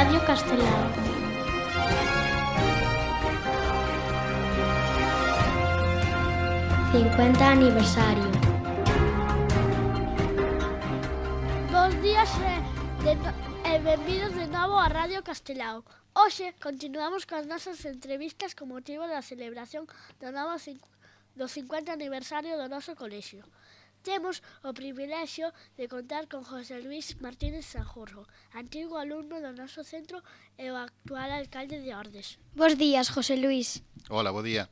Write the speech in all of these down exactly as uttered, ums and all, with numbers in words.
Radio Castelao. cincuenta aniversario. Bos días e, de, e benvidos de novo a Radio Castelao. Hoxe continuamos coas nosas entrevistas con motivo da celebración do novo do cincuenta aniversario do noso colexio. Temos o privilexio de contar con José Luís Martínez Sanjurjo, antigo alumno do noso centro e o actual alcalde de Ordes. Bos días, José Luís. Hola, bo día.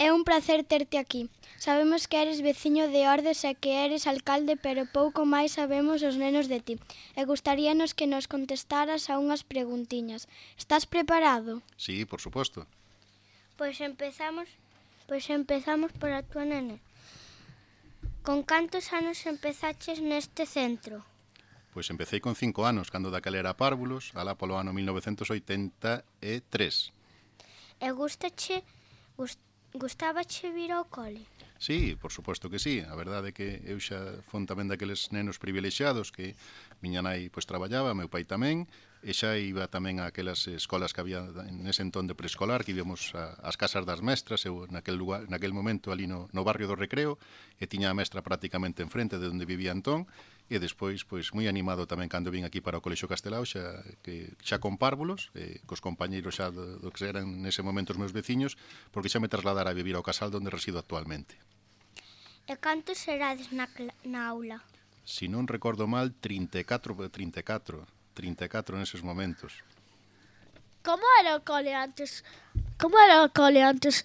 É un placer terte aquí. Sabemos que eres veciño de Ordes e que eres alcalde, pero pouco máis sabemos os nenos de ti. E gustaríanos que nos contestaras a unhas preguntiñas. Estás preparado? Sí, por suposto. Pois empezamos, pois empezamos por a túa nene. Con cantos anos empezaches neste centro? Pois empecé con cinco anos, cando daquela era párvulos, alá polo ano mil novecentos oitenta e tres. E gustache, gust, gustábache vir ao cole? Sí, por suposto que sí. A verdade é que eu xa fon tamén daqueles nenos privilexiados que miña nai pois traballaba, meu pai tamén, e xa iba tamén a aquelas escolas que había nese entón de preescolar, que íbamos ás casas das mestras, eu naquel, lugar, naquel momento ali no, no barrio do Recreo, e tiña a mestra prácticamente enfrente de onde vivía entón, e despois, pois, moi animado tamén cando vin aquí para o Colexio Castelao, xa, que, xa con párvulos, eh, cos compañeiros xa do, do que eran nese momento os meus veciños, porque xa me trasladara a vivir ao casal onde resido actualmente. E cantos serades na, na aula? Si non recordo mal, trinta e catro, trinta e catro, trinta e catro neses momentos. Como era o cole antes? Como era o cole antes?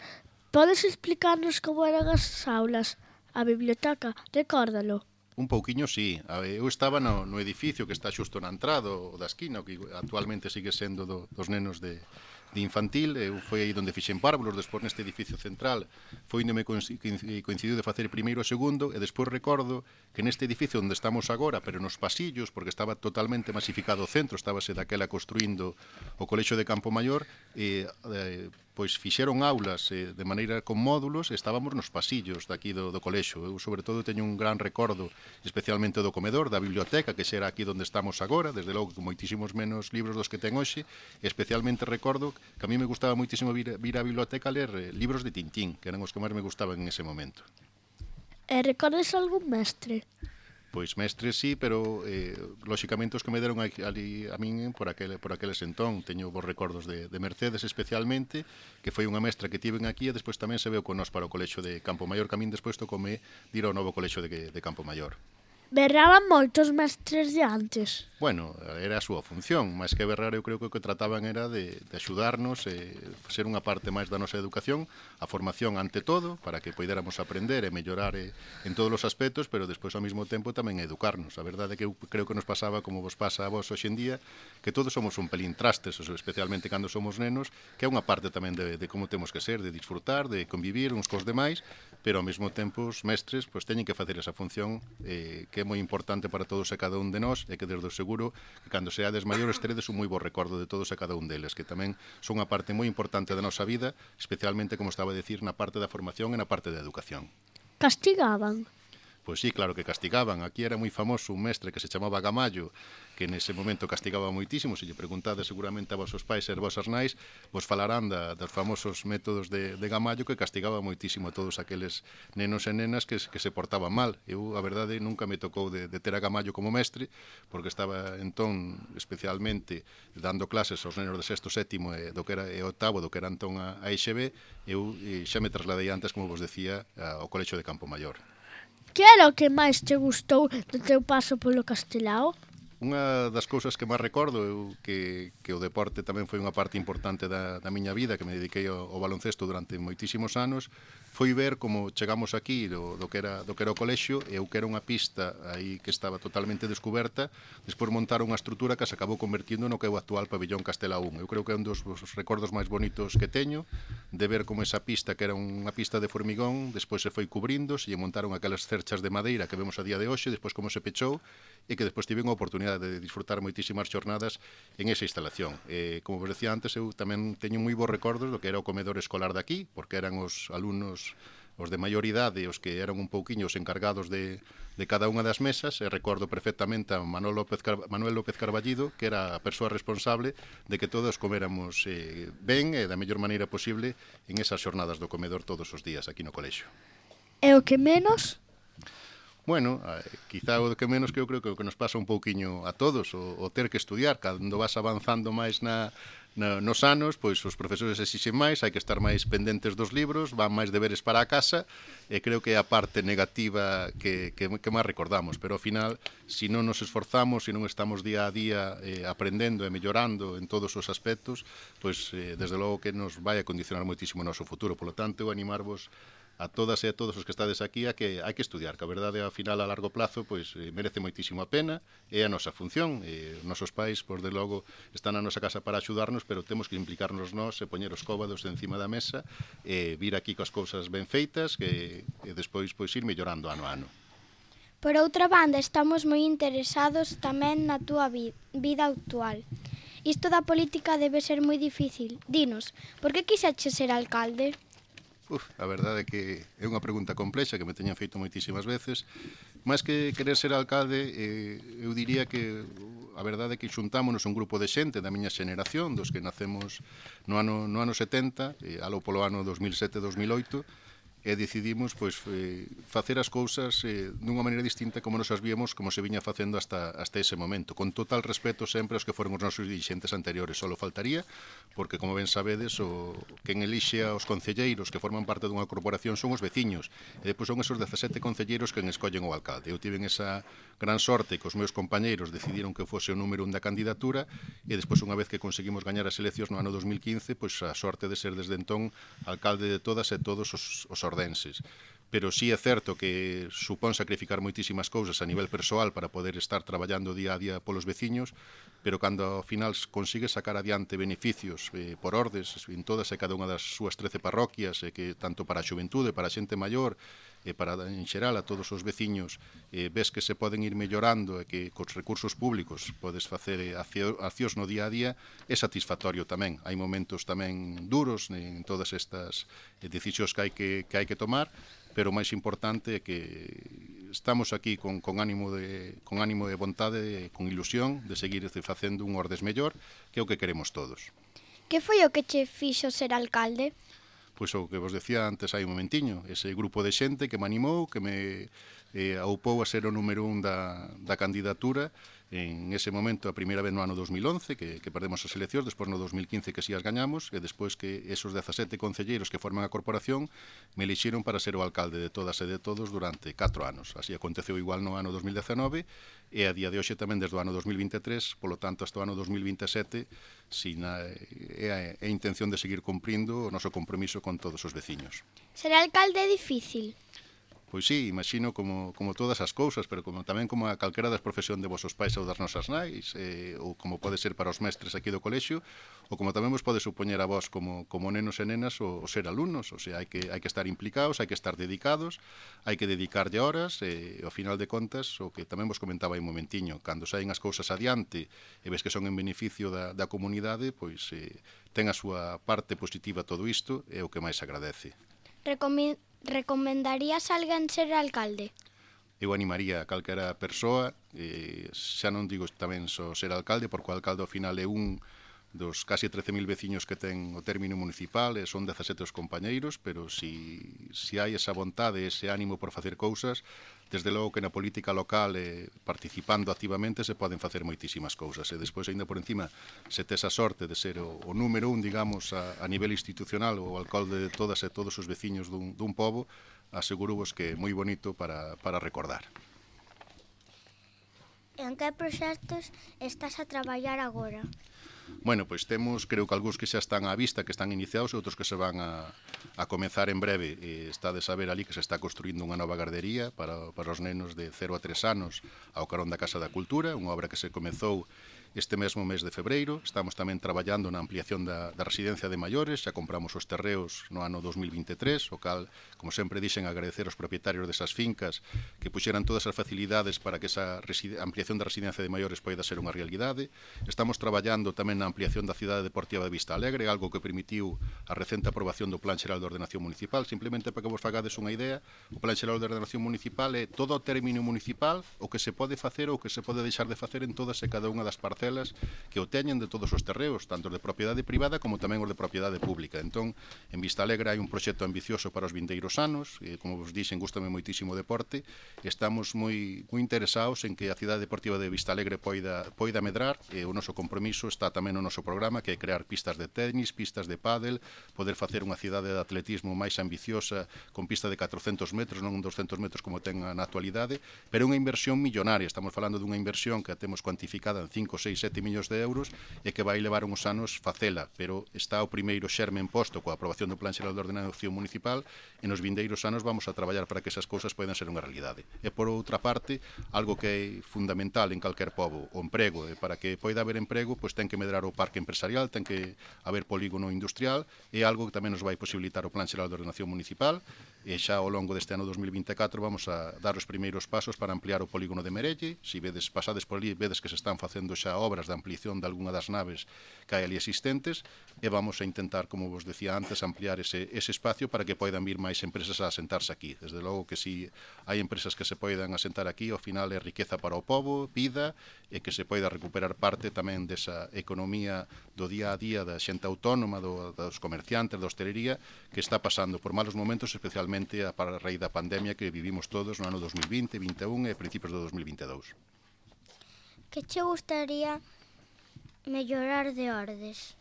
Podes explicarnos como eran as aulas? A biblioteca, recórdalo. Un pouquiño, sí. Eu estaba no, no edificio que está xusto na entrada, o da esquina, que actualmente sigue sendo do, dos nenos de, de infantil. Eu foi aí onde fixen párvulos, despois neste edificio central foi onde me coincidiu de facer primeiro e segundo, e despois recordo que neste edificio onde estamos agora, pero nos pasillos, porque estaba totalmente masificado o centro, estábase daquela construindo o Colexio de Campo Maior, e eh, pois fixeron aulas eh, de maneira con módulos, e estábamos nos pasillos daqui do, do colexio. Eu, sobre todo, teño un gran recordo, especialmente do comedor, da biblioteca, que xera aquí onde estamos agora, desde logo con moitísimos menos libros dos que ten hoxe, e especialmente recordo que a mí me gustaba moitísimo vir, vir á biblioteca a ler eh, libros de Tintín, que eran os que máis me gustaban en ese momento. E recordes algún mestre? Pois mestres sí, pero eh, lóxicamente os que me deron ali a min por aquel, por aqueles entón. Teño vos recordos de, de Mercedes especialmente, que foi unha mestra que tiven aquí, e despois tamén se veu con nós para o Colexio de Campo Maior, que a min despois tocome dir ao novo Colexio de, de Campo Maior. Berraban moitos mestres de antes. Bueno, era a súa función, máis que berrar eu creo que o que trataban era de, de axudarnos, e ser unha parte máis da nosa educación, a formación ante todo, para que poidéramos aprender e mellorar e, en todos os aspectos, pero despois ao mesmo tempo tamén educarnos. A verdade é que eu creo que nos pasaba como vos pasa a vos hoxe en día, que todos somos un pelín trastes, especialmente cando somos nenos, que é unha parte tamén de, de como temos que ser, de disfrutar, de convivir uns cos demais, pero ao mesmo tempo os mestres pois, teñen que facer esa función eh, que é moi importante para todos e cada un de nós, e que desde o seguro que cando seades maiores teredes un moi bo recordo de todos e cada un deles, que tamén son unha parte moi importante da nosa vida, especialmente, como estaba a decir, na parte da formación e na parte da educación. Castigaban? Pois sí, claro que castigaban. Aquí era moi famoso un mestre que se chamaba Gamallo, que nese momento castigaba moitísimo. Se lle preguntades seguramente a vosos pais e a vosas nais, vos falarán da, dos famosos métodos de, de Gamallo, que castigaba moitísimo a todos aqueles nenos e nenas que, que se portaban mal. Eu, a verdade, nunca me tocou de, de ter a Gamallo como mestre, porque estaba entón especialmente dando clases aos nenos de sexto, sétimo e do que era e octavo, do que era entón a, a E X B. Eu e xa me trasladei antes, como vos decía, ao Colexio de Campo Maior. Que era o que máis te gustou do teu paso polo Castelao? Unha das cousas que máis recordo eu que, que o deporte tamén foi unha parte importante da, da miña vida, que me dediquei ao, ao baloncesto durante moitísimos anos, foi ver como chegamos aquí do, do, que era, do que era o colexio, e eu que era unha pista aí que estaba totalmente descoberta, despois montar unha estrutura que se acabou convertindo no que é o actual pabellón Castelao un. Eu creo que é un dos, dos recordos máis bonitos que teño, de ver como esa pista, que era unha pista de formigón, despois se foi cubrindo, se lle montaron aquelas cerchas de madeira que vemos a día de hoxe, despois como se pechou, e que despois tiven a oportunidade de disfrutar moitísimas xornadas en esa instalación. E, como vos decía antes, eu tamén teño moi bons recordos do que era o comedor escolar daqui, porque eran os alumnos os de maior idade, os que eran un pouquiño os encargados de, de cada unha das mesas, e recordo perfectamente a Manuel López, Car Manuel López Carballido, que era a persoa responsable de que todos coméramos eh, ben e da mellor maneira posible en esas xornadas do comedor todos os días aquí no colexio. E o que menos? Bueno, eh, quizá o que menos que eu creo que o que nos pasa un pouquiño a todos, o, o ter que estudiar, cando vas avanzando máis na, na, nos anos, pois os profesores exixen máis, hai que estar máis pendentes dos libros, van máis deberes para a casa, e creo que é a parte negativa que, que, que máis recordamos, pero ao final, se non nos esforzamos, se non estamos día a día eh, aprendendo e mellorando en todos os aspectos, pois eh, desde logo que nos vai a condicionar moitísimo o noso futuro. Por lo tanto, eu animarvos a todas e a todos os que estades aquí a que hai que estudiar, que a verdade ao final a largo plazo pois eh, merece moitísimo a pena, é a nosa función, e os nosos pais, por de logo, están na nosa casa para axudarnos, pero temos que implicarnos nós e poñer os cóbados encima da mesa e vir aquí coas cousas ben feitas que e despois pois ir mellorando ano a ano. Por outra banda, estamos moi interesados tamén na túa vi vida actual. Isto da política debe ser moi difícil. Dinos, por que quixeches ser alcalde? Uf, a verdade é que é unha pregunta complexa que me teñan feito moitísimas veces. Máis que querer ser alcalde, eh, eu diría que a verdade é que xuntámonos un grupo de xente da miña xeneración, dos que nacemos no ano, no ano setenta, eh, alo polo ano dos mil sete dos mil oito, e decidimos pois, eh, facer as cousas eh, dunha maneira distinta como nos as víamos, como se viña facendo hasta, hasta ese momento, con total respeto sempre aos que foron os nosos dirixentes anteriores. Solo faltaría, porque como ben sabedes, o quen elixe aos concelleiros que forman parte dunha corporación son os veciños, e depois son esos dezasete concelleiros quen escollen o alcalde. Eu tiven esa gran sorte que os meus compañeiros decidiron que fose o número un da candidatura, e despois, unha vez que conseguimos gañar as eleccións no ano dos mil quince, pois a sorte de ser desde entón alcalde de todas e todos os, os ordenses. Pero sí é certo que supón sacrificar moitísimas cousas a nivel persoal para poder estar traballando día a día polos veciños, pero cando ao final consigue sacar adiante beneficios eh, por ordes en todas e cada unha das súas trece parroquias, e que tanto para a xuventude, para a xente maior, e para en xeral a todos os veciños, eh, ves que se poden ir mellorando e que cos recursos públicos podes facer accións no día a día, é satisfactorio tamén. Hai momentos tamén duros en todas estas decisións que hai que, que hai que tomar, pero o máis importante é que estamos aquí con, con, ánimo de, con ánimo de vontade, con ilusión de seguir facendo un Ordes mellor, que é o que queremos todos. Que foi o que che fixo ser alcalde? Pois o que vos decía antes hai un momentiño, ese grupo de xente que me animou, que me eh, aupou a ser o número un da, da candidatura, en ese momento, a primeira vez no ano dos mil once, que, que perdemos as eleccións, despois no dos mil quince que si as gañamos, e despois que esos dezasete concelleiros que forman a corporación me elixiron para ser o alcalde de todas e de todos durante catro anos. Así aconteceu igual no ano dos mil dezenove, e a día de hoxe tamén desde o ano dos mil vinte e tres, polo tanto, hasta o ano dos mil vinte e sete, sin a, é, a, é a intención de seguir cumprindo o noso compromiso con todos os veciños. Ser alcalde é difícil? Pois sí, imagino como, como todas as cousas, pero como tamén como a calquera das profesión de vosos pais ou das nosas nais, eh, ou como pode ser para os mestres aquí do colexio, ou como tamén vos pode supoñer a vos como, como nenos e nenas o, o ser alumnos. O sea, hai que, hai que estar implicados, hai que estar dedicados, hai que dedicarlle horas, e ao final de contas, o que tamén vos comentaba aí un momentiño, cando saen as cousas adiante e ves que son en beneficio da, da comunidade, pois eh, ten a súa parte positiva todo isto, é o que máis agradece. Recomi Recomendarías a alguén ser alcalde? Eu animaría a calquera persoa, eh, xa non digo tamén só ser alcalde, porque o alcalde ao final é un dos casi trece mil veciños que ten o término municipal, e son dezasete os compañeiros, pero si, si hai esa vontade, ese ánimo por facer cousas, desde logo que na política local, eh, participando activamente, se poden facer moitísimas cousas, e despois, aínda por encima, se tes a sorte de ser o, o número un, digamos, a, a nivel institucional, o alcalde de todas e todos os veciños dun, dun pobo, asegurovos que é moi bonito para, para recordar. En que proxectos estás a traballar agora? Bueno, pois temos, creo que algúns que xa están á vista, que están iniciados, e outros que se van a, a comezar en breve. E está de saber ali que se está construindo unha nova gardería para, para os nenos de cero a tres anos ao carón da Casa da Cultura, unha obra que se comezou este mesmo mes de febreiro. Estamos tamén traballando na ampliación da, da residencia de maiores, xa compramos os terreos no ano dos mil vinte e tres, o cal, como sempre dixen, agradecer aos propietarios desas fincas que puxeran todas as facilidades para que esa ampliación da residencia de maiores poida ser unha realidade. Estamos traballando tamén tamén na ampliación da cidade deportiva de Vista Alegre, algo que permitiu a recente aprobación do Plan Xeral de Ordenación Municipal. Simplemente para que vos fagades unha idea, o Plan Xeral de Ordenación Municipal é todo o término municipal, o que se pode facer ou o que se pode deixar de facer en todas e cada unha das parcelas que o teñen de todos os terreos, tanto de propiedade privada como tamén os de propiedade pública. Entón, en Vista Alegre hai un proxecto ambicioso para os vindeiros anos, e, como vos dixen, gústame moitísimo o deporte, estamos moi, moi interesados en que a cidade deportiva de Vista Alegre poida, poida medrar, e o noso compromiso está tamén no noso programa, que é crear pistas de tenis, pistas de pádel, poder facer unha cidade de atletismo máis ambiciosa, con pista de catrocentos metros, non doscentos metros como ten na actualidade, pero unha inversión millonaria. Estamos falando dunha inversión que a temos cuantificada en cinco, seis, sete millóns de euros e que vai levar uns anos facela, pero está o primeiro xermen posto coa aprobación do Plan Xeral de Ordenación Municipal, e nos vindeiros anos vamos a traballar para que esas cousas poidan ser unha realidade. E por outra parte, algo que é fundamental en calquer pobo, o emprego, e para que poida haber emprego, pois ten que medrar o parque empresarial, ten que haber polígono industrial, é algo que tamén nos vai posibilitar o Plan Xeral de Ordenación Municipal, e xa ao longo deste ano dos mil vinte e catro vamos a dar os primeiros pasos para ampliar o polígono de Merelle. Si vedes, pasades por ali, vedes que se están facendo xa obras de ampliación de algunha das naves que hai ali existentes, e vamos a intentar, como vos decía antes, ampliar ese, ese espacio para que poidan vir máis empresas a asentarse aquí. Desde logo que si hai empresas que se poidan asentar aquí, ao final é riqueza para o pobo, vida, e que se poida recuperar parte tamén desa economía do día a día da xente autónoma, do, dos comerciantes, da hostelería, que está pasando por malos momentos, especialmente a para a raíz da pandemia que vivimos todos no ano dos mil vinte, vinte e un e principios do dos mil vinte e dous. Que che gustaría mellorar de Ordes?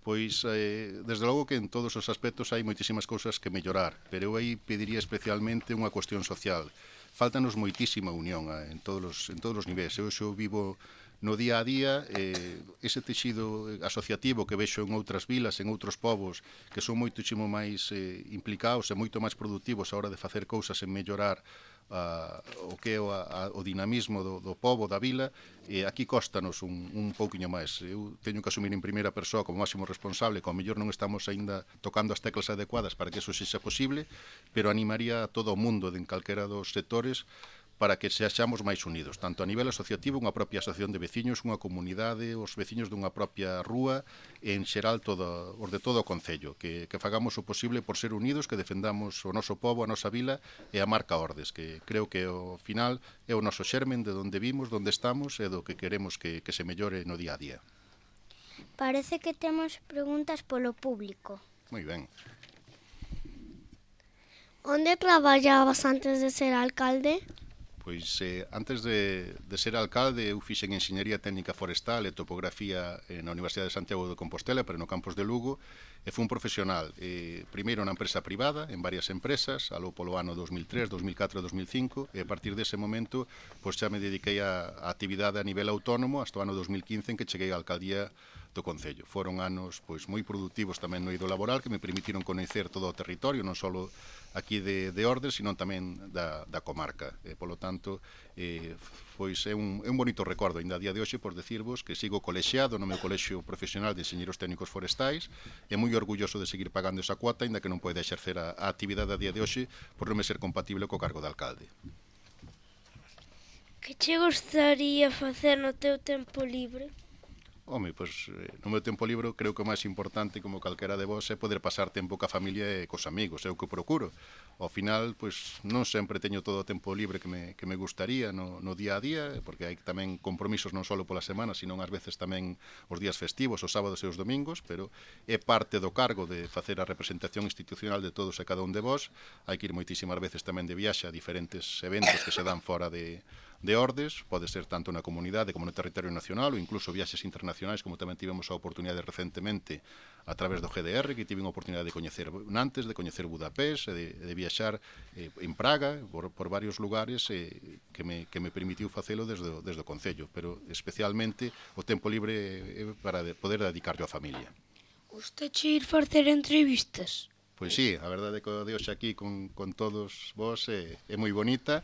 Pois, eh, desde logo que en todos os aspectos hai moitísimas cousas que mellorar, pero eu aí pediría especialmente unha cuestión social. Fáltanos moitísima unión eh, en todos os, en todos os niveis. Eu xo vivo no día a día, eh, ese texido asociativo que vexo en outras vilas, en outros povos, que son moitísimo máis eh, implicados e moito máis productivos a hora de facer cousas en mellorar a, o que é o, a, o dinamismo do, do povo, da vila, e aquí costanos un, un pouquiño máis. Eu teño que asumir en primeira persoa como máximo responsable, que ao mellor non estamos aínda tocando as teclas adecuadas para que eso sexa posible, pero animaría a todo o mundo de en calquera dos sectores para que sexamos máis unidos, tanto a nivel asociativo, unha propia asociación de veciños, unha comunidade, os veciños dunha propia rúa, e en xeral todo, os de todo o concello, que, que fagamos o posible por ser unidos, que defendamos o noso pobo, a nosa vila e a marca Ordes, que creo que ao final é o noso xermen de onde vimos, onde estamos e do que queremos que, que se mellore no día a día. Parece que temos preguntas polo público. Moi ben. Onde traballabas antes de ser alcalde? Pois eh, antes de, de ser alcalde eu fixen Enxeñería Técnica Forestal e Topografía eh, na Universidade de Santiago de Compostela, pero no campus de Lugo, e fui un profesional, eh, primeiro na empresa privada, en varias empresas, aló polo ano dos mil tres, dos mil catro e dos mil cinco, e a partir dese momento pois xa me dediquei a, a actividade a nivel autónomo hasta o ano dos mil quince, en que cheguei á alcaldía do Concello. Foron anos pois moi produtivos tamén no eido laboral, que me permitiron coñecer todo o territorio, non só aquí de, de Ordes, sino tamén da, da comarca. E, polo tanto, eh, pois é un, é un bonito recordo, ainda a día de hoxe, por decirvos que sigo colexiado no meu colexio profesional de enxeñeros técnicos forestais, e moi orgulloso de seguir pagando esa cuota, ainda que non poida exercer a, a actividade a día de hoxe por non me ser compatible co cargo de alcalde. Que che gustaría facer no teu tempo libre? Home, pois, no meu tempo libre creo que o máis importante, como calquera de vos, é poder pasar tempo ca familia e cos amigos, é o que procuro. Ao final, pois, non sempre teño todo o tempo libre que me, que me gustaría no, no día a día, porque hai tamén compromisos non só pola semana, sino ás veces tamén os días festivos, os sábados e os domingos, pero é parte do cargo de facer a representación institucional de todos e cada un de vos. Hai que ir moitísimas veces tamén de viaxe a diferentes eventos que se dan fora de de Ordes, pode ser tanto na comunidade como no territorio nacional, ou incluso viaxes internacionais, como tamén tivemos a oportunidade recentemente a través do G D R, que tive a oportunidade de coñecer Nantes, de coñecer Budapest, de, de viaxar eh, en Praga, por, por varios lugares eh, que, me, que me permitiu facelo desde, desde o Concello, pero especialmente o tempo libre eh, para de, poder dedicarlo á familia. Gustache ir facer entrevistas? Pois sí, a verdade é que o de hoxe aquí con, con todos vos é, é moi bonita.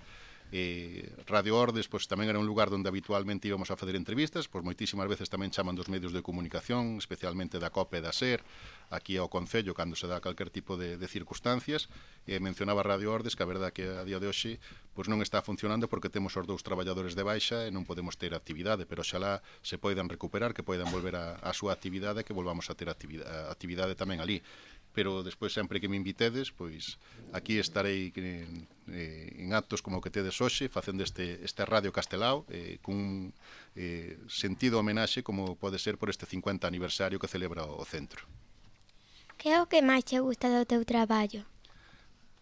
Eh, Radio Ordes pois, tamén era un lugar onde habitualmente íbamos a facer entrevistas, pois moitísimas veces tamén chaman dos medios de comunicación, especialmente da COPE e da SER, aquí ao Concello cando se dá calquer tipo de, de circunstancias. E mencionaba Radio Ordes que a verdade que a día de hoxe pois non está funcionando porque temos os dous traballadores de baixa e non podemos ter actividade, pero xalá se poidan recuperar, que poidan volver a, a súa actividade, que volvamos a ter actividade, actividade tamén ali. Pero despois sempre que me invitedes, pois aquí estarei en, en actos como o que tedes hoxe, facendo este, este Radio Castelao, eh, cun eh, sentido homenaxe como pode ser por este cincuenta aniversario que celebra o centro. Que é o que máis te gusta do teu traballo?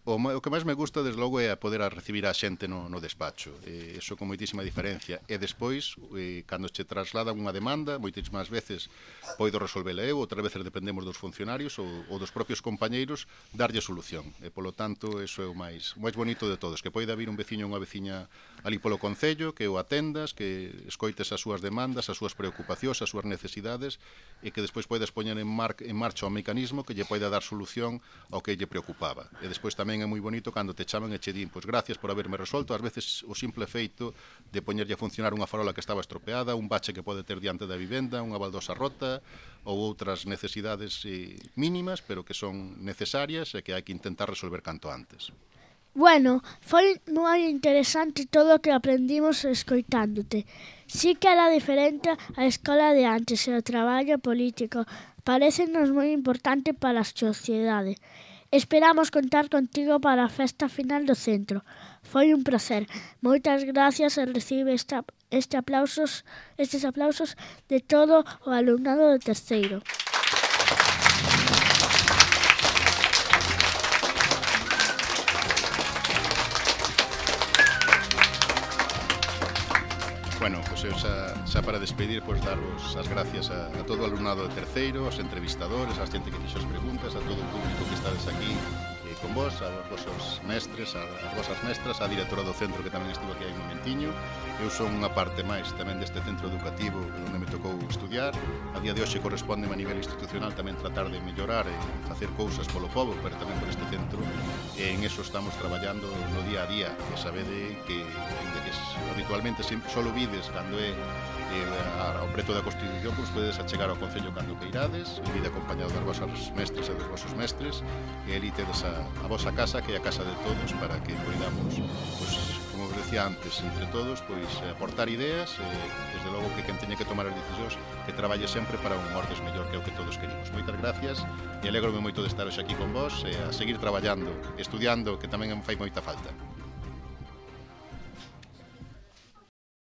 O, o que máis me gusta, desde logo, é a poder a recibir a xente no, no despacho. Eh, eso con moitísima diferencia. E despois, eh, cando che trasladan unha demanda, moitísimas veces poido resolvela eu, outras veces dependemos dos funcionarios ou, ou dos propios compañeiros, darlle solución. E, polo tanto, eso é o máis, o máis bonito de todos, que poida vir un veciño ou unha veciña ali polo Concello, que o atendas, que escoites as súas demandas, as súas preocupacións, as súas necesidades, e que despois poidas poñer en, mar, en marcha o mecanismo que lle poida dar solución ao que lle preocupaba. E despois tamén é moi bonito cando te chaman e che din, pois gracias por haberme resolto, ás veces o simple feito de poñerlle a funcionar unha farola que estaba estropeada, un bache que pode ter diante da vivenda, unha baldosa rota ou outras necesidades eh, mínimas, pero que son necesarias e que hai que intentar resolver canto antes. Bueno, foi moi interesante todo o que aprendimos escoitándote. Sí que era diferente a escola de antes e o traballo político. Parécenos moi importante para a sociedade. Esperamos contar contigo para a festa final do centro. Foi un placer. Moitas gracias e recibe esta, este aplausos, estes aplausos de todo o alumnado de terceiro. Bueno, pois eu xa, xa para despedir, pois darvos as gracias a, a todo o alumnado de terceiro, aos entrevistadores, a xente que fixo as preguntas, a todo o público que estades aquí eh, con vos, aos vosos mestres, a, as vosas mestras, a directora do centro que tamén estivo aquí hai un momentiño. Eu son unha parte máis tamén deste centro educativo onde me tocou estudiar. A día de hoxe corresponde a nivel institucional tamén tratar de mellorar e facer cousas polo pobo, pero tamén por este centro. E en eso estamos traballando no día a día. E sabede que, de que habitualmente sempre solo vides cando é eh, ao preto da Constitución, pois podedes achegar ao Concello cando que irades, e vide acompañado das vosas mestres e dos vosos mestres, e ali tedes a, a vosa casa, que é a casa de todos, para que poidamos, pois, como vos decía antes, entre todos, pois aportar ideas, e desde logo que quen teña que tomar as decisións, que traballe sempre para un Ordes mellor, que é o que todos queremos. Moitas gracias, e alégrome moito de estar hoxe aquí con vos, e a seguir traballando, estudiando, que tamén me fai moita falta.